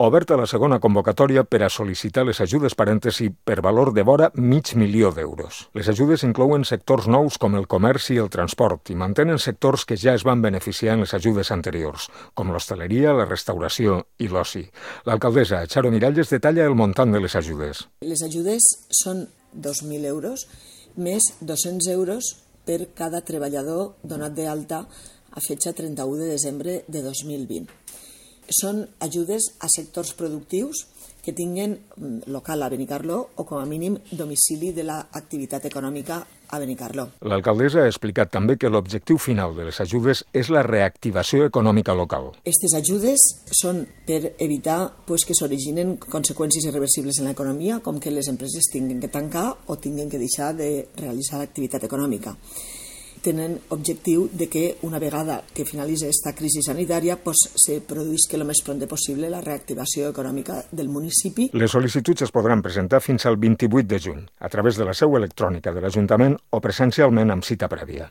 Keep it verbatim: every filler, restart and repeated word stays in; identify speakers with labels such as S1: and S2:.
S1: Oberta la segona convocatòria per a sol·licitar les ajudes parèntesi per valor de vora mig milió d'euros. Les ajudes inclouen sectors nous com el comerç i el transport i mantenen sectors que ja es van beneficiar en les ajudes anteriors, com l'hostaleria, la restauració i l'oci. L'alcaldessa Charo Miralles detalla el muntant de les ajudes.
S2: Les ajudes són dos mil euros més dos-cents euros per cada treballador donat d'alta a fetge trenta-u de desembre de dos mil vint. Són ajudes a sectors productius que tinguen local a Benicarló o, com a mínim, domicili de l'activitat econòmica a Benicarló.
S1: L'alcaldessa ha explicat també que l'objectiu final de les ajudes és la reactivació econòmica local.
S2: Aquestes ajudes són per evitar pues, que s'originen conseqüències irreversibles en l'economia, com que les empreses tinguin que tancar o tinguin que deixar de realitzar l'activitat econòmica. Tenen objectiu de que una vegada que finalitzi aquesta crisi sanitària pues, se produïsca el més pront possible la reactivació econòmica del municipi.
S1: Les sol·licituds es podran presentar fins al vint-i-vuit de juny a través de la seu electrònica de l'Ajuntament o presencialment amb cita prèvia.